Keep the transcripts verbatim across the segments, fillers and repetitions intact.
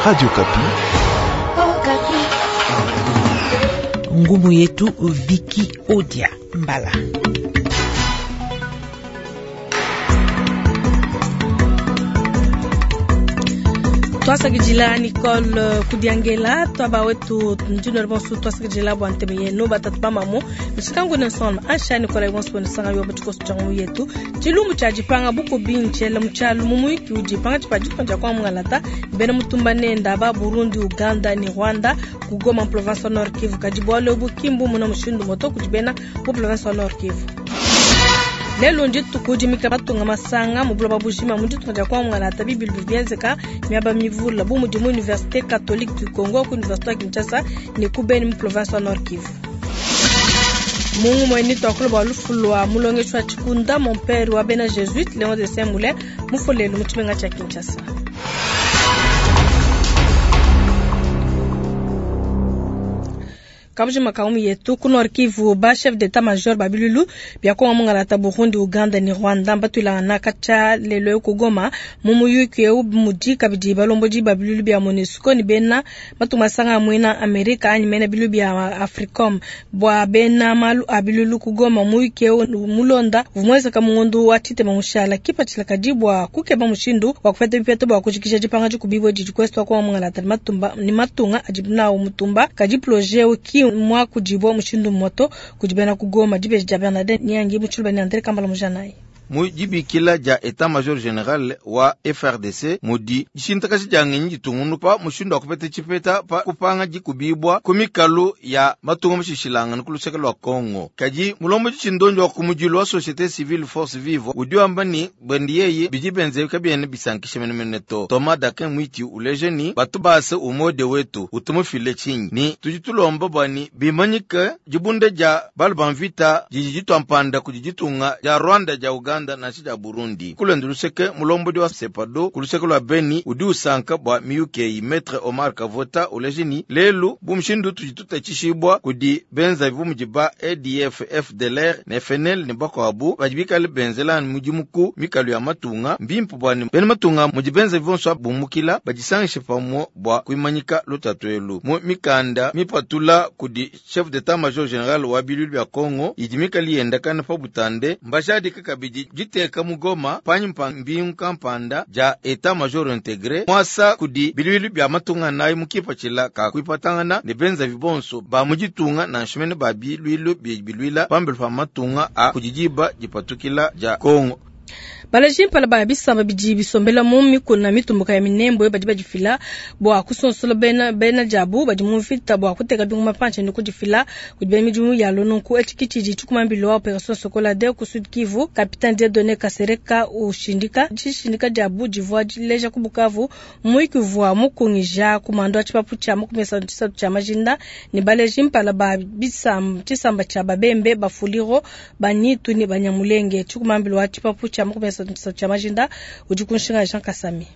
Radio Okapi. Ngumu yetu Viki Odia Mbala. Twasakidila Nicole Kudiangela twaba wetu njino bonso twasakidila bwa nteme yenu batatu bamamu mishikangu Nelson Ansha Nicole bonso bonisanga yo batikoso tjangu yetu tshilumbu tshia dipanga bukubi ntshele mutshialu mu muyiki udi panga tshipa ditunga dia kwa bena mutumba nenda ba Burundi, Uganda ni Rwanda ku Goma province Nord Kivu kadi bualu bukimbu muna mushindu moto kudi bena mu province Nord Kivu. Lelo ndituku dimika matunga masanga mu buloba bujima mu ditunga dia kwa mungalata bibilu bienzeka miaba mivula bu mudi mu Université Catholique du Congo ku Université ya Kinshasa ne ku Beni mu province wa Nord Kivu. Mungu mweni twakula bwa lufu lwa mulongeshi wa tshikunda mon père wa bena Jésuite Léon de Saint-Moulin mufolelo mu tshimenga tshia Kinshasa. Kabujima kaumu yetu ku Nord Kivu ba chef d'état major babilulu bia kongo mungalata Burundi, Uganda ni Rwanda batwilangana katshia lelo ku Goma mu muyuki eu mudi kabidi balombodi babilulu bia MONUSCO ni bena matunga masanga mwina Amerika anyi mena bilulu bia Africom bwa bena malu abilulu ku Goma muyuki eu mulonda vumweza kamungundu wa tite mamushala kipatshila kadi bwa kukeba mushindu wa kupeta bipeto bwa kujikisha dipanga dikubibwa didi kwestu kwa mungalata matumba ni matunga adibnawo mutumba kadi projet ki mwa kujibwa mushindu moto kujibena kugoma dibeji dia Bernadette Nyangi muchuluba ni Andre Kambala mujanayi mu dibikila dia etat major general wa F R D C mudi dishintakashi dia ngenyi ditungunu pa mushindu wa kupeta tshipeta pa kupanga dikubibwa ku mikalu ya matunga mushishilangana ku luseke lua Congo. Kadi mulombo tshindonjo wa kumudilu wa société civile force vive udi wamba ni bwendi yeye bidi benze kabiene bisankisha menemene to. Thomas Dakin Mwiti uleje ni batu base umode wetu utumufile tshinyi ni tudi tulomba bwani bimanyike dibunde dia balu ba mvita didi ditwampanda kudi ditunga dia Rwanda dia Uganda na ya Burundi. Kulendo luseke mulombodi wa Sepado kuluseke lwa Beni udi usanka bwa miyuki Maître Omar Kavota ulejini lelu bumushindu tujituta chishibwa kudi benza bumudi ba A D F F D L R ne F N L ne bakwabu bajibikale benzela mudimuku mikalu ya matunga mbimpu bwani bene matunga mudi benza bivonso bumukila bajisangishe pamwe bwa kuimanyika lutatu mu mikanda mipatula kudi chef d'état major général wa bilulu bya Congo idi mikali yendakana pa butande mbashadika kabidi jiteka mugoma panyi mbingu kampanda ja etat major intégré mwasa kudi bilulu bya matunga nayo mukipachila ka kuipatangana ne benza vibonso ba mujitunga na nshimene ba bilulu bilwila pambelu pa matunga a kujijiba jipatukila ja Congo. Balaji mpala ba bisamba bidi bisombela mu mikuna mitumbuka ya minembo badi badifila bwa kusonsola bena bena jabu badi mu mvita bwa kuteka binguma panche ni kudifila kudi midimu ya lononku echikichiji chikumambilo wa operation Sokola de ku Sud Kivu Capitaine Dieudonné Kasereka ushindika chishindika jabu divwa dileja ku Bukavu muikivwa mukungija kumando chipapu cha mukumesa tshisatu cha majinda ni baleji mpala ba bisamba chisamba cha babembe bafuliro banitu ni banyamulenge chikumambilo wa chipapu cha mukumesa cha majinda udi kunshinga Jean Kasami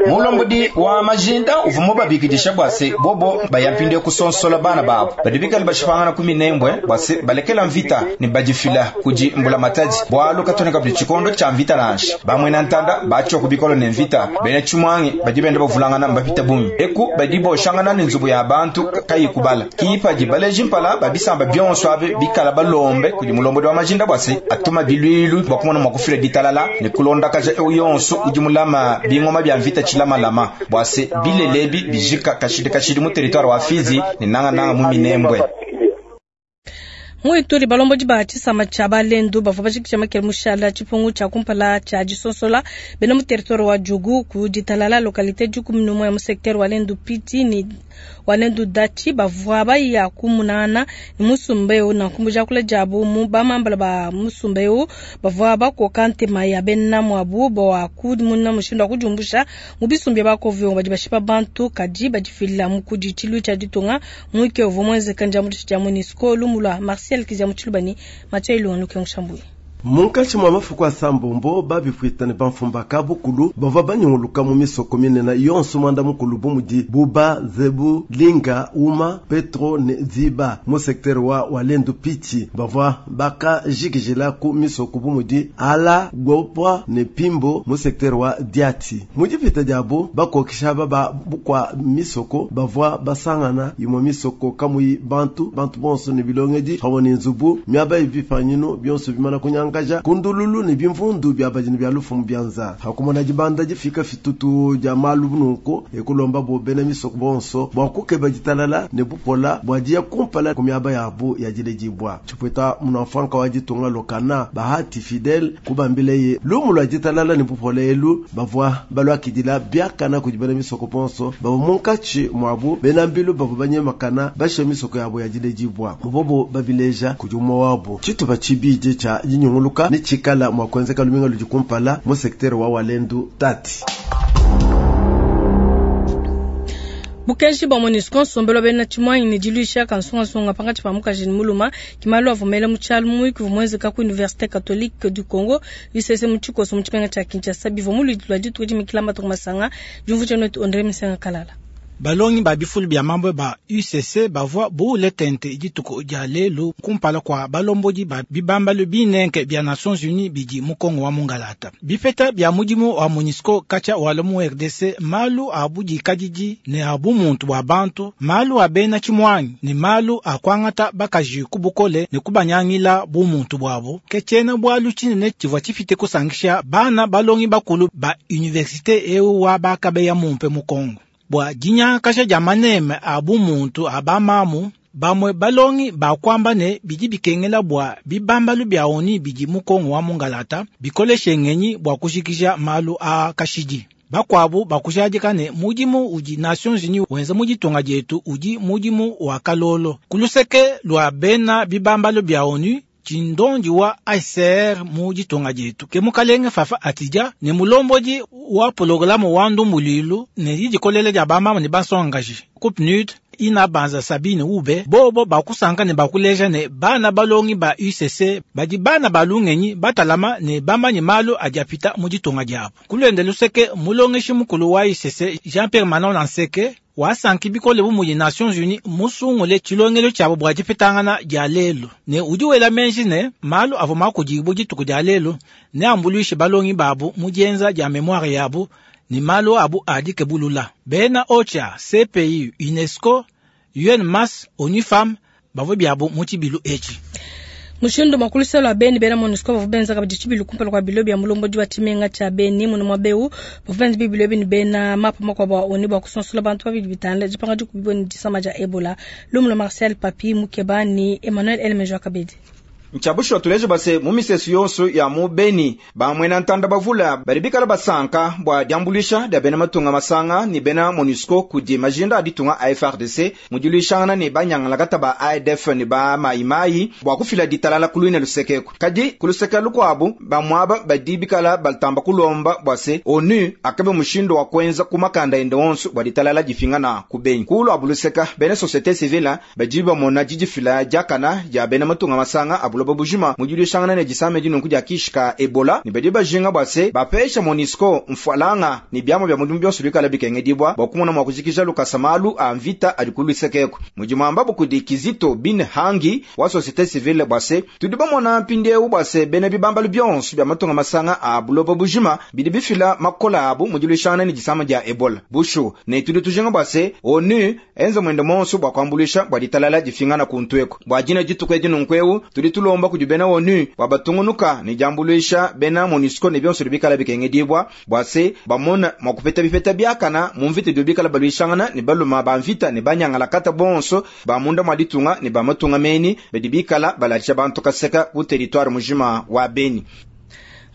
mulombodi wa majinda uvumo babikidisha bwase bobo bayampinde kusonsola bana babo badibikali bashipangana ku minembwe bwase balekela mvita ni badifila kudi mbula matadi bwalu katoneka buli tshikondo tsha mvita nansha bamwena ntanda batsho kubikolo ne mvita bene tshimwangi badi bende bavulangana mbapita bungi eku badi boshangana ne nzubu ya bantu kayi kubala kiipadi baleji mpala babisamba bionso abe bikala balombe kudi mulombodi wa majinda bwase atuma bilwilu bwakumona mwakufila ditalala ne kulondakaja yonso udi mulama bingoma bya mvita chilamalama bwase bilelebi bijika kashidi kashidi mu territoire wa Fizi ne nanga nanga mu Minembwe. Muituri balombodi ba tshisamba tsha balendu bavua bajikija makele mushala tshipungu tsha kumpala tsha disonsola bena mu territoire wa Djugu ku ditalala localité dikumi n'umwe mu secteur wa Lendu Piti ni wa Lendu Dachi bavua baya kumunana ni musumba eu na nkumbuja kula jabu mu bamambala ba musumba eu bavua bakoka ntema ya bena mwabu bwa kumuna mushindu wa kujumbusha mu bisumbi bakovyo badi bashipa bantu kadi badifila mu kudi tshilu tsha ditunga muike uvua muenzeka ndia mu tsha MONUSCO lumulwa Marcel Kizia Mutshilubani Mathieu Ilunga Lukengo Shambuyi. Munkatshi mwa mafuku asambombo babipuita ne bamfumbaka bukulu bavua banyunguluka mu misoko minene yonso mwanda mukulu bu mudi Buba, Zebu, Linga, Uma, Petro ne Ziba mu secteur wa Walendu Pitshi bavua bakajikijila ku misoko bu mudi Ala, Gopwa ne Pimbo mu secteur wa Diati. Mu dipita diabu bakokesha baba bukwa misoko bavua basangana imwe misoko kamuyi bantu bantu bonso ne bilongedi pamwe ne nzubu miaba ibipanyinu byonso bimana kunyanga kaja kundululu ne bimvundu bya bajini bya lufu mu byanza hakumona dibanda difika fitutu dia malu nunku ekulomba bo bena misoko bonso bwa kukeba ditalala ne bupola bwa dia kumpala ku miaba yabu ya diledibwa tshipweta munafranka wa ditunga lokana bahati fidel kubambileye lumu lwa ditalala ne bupola elu bavua balwakidila biakana kudi bena misoko bonso bavua munkatshi mwabu bena mbilu bavua banyemakana bashe misoko yabo ya diledibwa mubobo babileja kudi umwe wabo tshitupa tshibidi tsha dinyungulu ni chikala mwa kuenzeka luminga lujikumpala mu secteur wa Walendu Tati. Bukenji bwa MONUSCO nsombelo bena tshimwanyi ne diluisha kansungasunga pangatshi pa mukaji ne muluma kimalu avumela mu tshialu muyuki vumwenzeka ku Université Catholique du Congo U C C mu tshikoso mu tshimenga tshia Kinshasa bivua mu luidi lua dituku dimikila matuku masanga diumvuija netu André Misenga Kalala. Balongi ba bifulu bya mambo ba U C C bavua buule tente dituku dia lelu kumpala kwa balombodi ba bibambalu binenke bya Nations Unies bidi mu Kongo wa Mungalata. Bipeta bya mudimu wa MONUSCO kacha wala mu R D C malu a budikadidi ne a bumuntu bwa bantu malu a bena tshimwanyi ne malu a kwangata bakaji ku bukole ne kubanyangila bumuntu bwabo ke tshiena bwalu tshinene tshivua tshifite kusangisha bana balongi bakulu ba université eu wa bakabeya mumpe mu Kongo. Bwa dinyakasha dia maneme a bumuntu a bamamu bamwe balongi bakwamba ne bidi bikengela bwa bibambalu bya oni bidi mu Kongo wa Mungalata bikoleshe ngenyi bwa kushikisha malu a kashidi. Bakwabu bakujadika ne mudimu udi Nations Unies wenza mu ditunga dietu udi mudimu wa kalolo. Kuluseke lwa bena bibambalu bya onu tshindondi wa A C R mu ditunga dietu ke mukalenge Fafa Atidja ne mulombodi wa programu wa ndumbulilu ne didikolele dia bamama ne bansongaji ku P N U D ina banza Sabine Ube bobo bakusanka ne bakuleja ne bana balongi ba U C C badi bana balungenyi batalama ne bamanyi malu adi apita mu ditunga diabu. Kulwende luseke mulongeshi mukulu wa U C C Jean-Pierre Manon Lanseke wasanki bikole bu mudi Nations Unies musungule tshilongelo tshiabo bua dipetangana dia lelu ne udi wela menji ne malu avua makudibu dituku dia lelu ne ambuluishe balongi babu mu dienza dia memoire yabu ne malu abu adikebulula. Bena OCHA, C P I, UNESCO, U N M A S, ONU Femmes bavua biabu mu tshibilu etshi. Mushindu makulisa lwa Beni bena MONUSCO bavua benza kabidi tshibilu kumpala kwa bilo bya mulombodi wa tshimenga tshia Beni muno mwa Beu bavua benza bibilo bini bena mapa makuabu a ONU bua kusonsola bantu babidi bitanda dipanga dikubibua ne disama dia Ebola. Lumu lwa Marcel Papi Mukeba ni Emmanuel Elmejo Kabedi. Nchabushwa tuleje base mu misesu yonso ya mu Beni bamwena ntanda bavula bali bikala basanka bwa diambulisha dia bena matunga masanga ni bena MONUSCO kudi majinda aditunga A F R D C mudilishangana ni banyangala kataba A D F ni ba maimai bwa kufila ditalala kulwina lusekeko kadi kuluseka lukwabu bamwaba badi bikala baltamba kulomba bwase ONU akabe mushindo wa kwenza kumakanda ende onso bwa ditalala difingana ku Beni kulu abuluseka bena société civile bajiba mona jijifila jakana ya bena matunga masanga abulo bujima mudilishangana ne disame dinunku dia kishika Ebola ni badi bajinga bwase bapesha MONUSCO mfwalanga ni byamo bya mudimu byonso bikala bikengedibwa bwakumona mwa kujikisha lukasamalu a mvita alikulusekeko mujimamba bukudi Kizito bin Hangi wa société civile bwase tudi bamona mpindeu bwase bene bibambalu byonso bya matunga masanga a buloba bujima bidi bifila makola abu mudilishangana ne disame dia Ebola bushu ne tudi tujinga bwase ONU enza mwendo monso bwa kwambulisha bwa ditalala difingana kuntweko bwa jina dituku edinunkweu tudi tulomba kudi bena ONU bwa batungunuka ni jambulisha bena MONUSCO ne byonso bikala bikengedibwa bwase bamona mwakupeta bipeta byakana mu mvita dio bikala balwishangana ni baluma ba mvita ni banyangala kata bonso ba munda mwa ditunga ni ba matunga meni bedi bikala balalisha bantu kaseka ku territoire mujima wa Beni.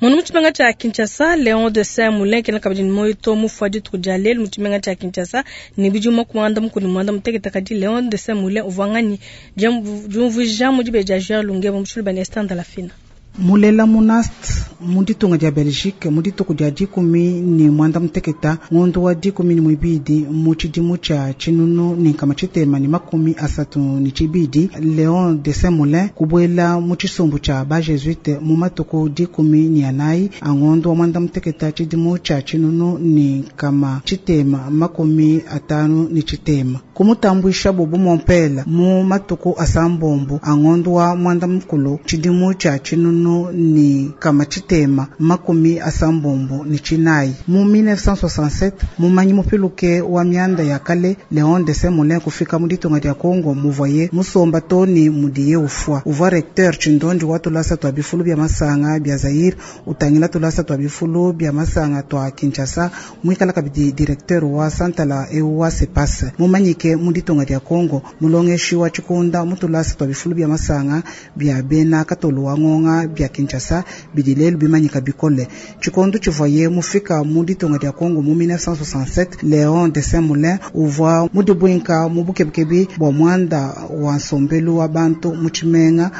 Munu mutshimenga tshia Kinshasa, Léon de Saint-Moulin kena kabidi ne moyo mufua dituku dia lelu mu tshimenga tshia Kinshasa ne bidimu makumi anda mukulu muanda mutekete kadi Léon de Saint-Moulin uvua nganyi diumvuija mu dibeji dia Jean Lungebo mu tshiluba ne Esther Ndalafina. Mulela mu Nast mu ditunga dia Belgique mu dituku dia dikumi ne mwanda muteketa ngondo wa dikumi ne mwibidi mu tshidimu tshia tshinunu ne nkama tshitema ne makumi asatu ne tshibidi Leon de Saint-Moulin kubuela mu tshisumbu tshia ba Jesuite mu matuku dikumi ne anayi a ngondo wa mwanda muteketa tshidimu tshia tshinunu ne nkama tshitema makumi atanu ne tshitema kumutambuisha bobu mompela mu matuku asambombo a ngondo wa mwanda mukulu tshidimu tshia tshinunu ne nkama tshitema makumi asambombo ne tshinayi mu mille neuf cent soixante-sept mumanyi mupiluke wa mianda ya kale Leon de Saint-Moulin kufika mu ditunga dia Congo muvoye musomba toni mudiye ufwa uvua recteur tshindondi wa tulasa twa bifulu bya masanga bya Zaire utangila tulasa twa bifulu bya masanga twa Kinshasa mwikala kabidi directeur wa santala ewa sepase mumanyike mu ditunga dia Congo mulongeshi wa tshikunda mu tulasa twa bifulu bya masanga bya bena katolo wa ngonga bya Kinshasa bidilelu bimanyika bikole tshikondo tshivoye mufika mu ditunga dia Congo mu mille neuf cent soixante-sept Leon de Saint-Moulin uvua mudibwinka mu bukebukebi bwa mwanda wa nsombelu wa bantu mu tshimenga.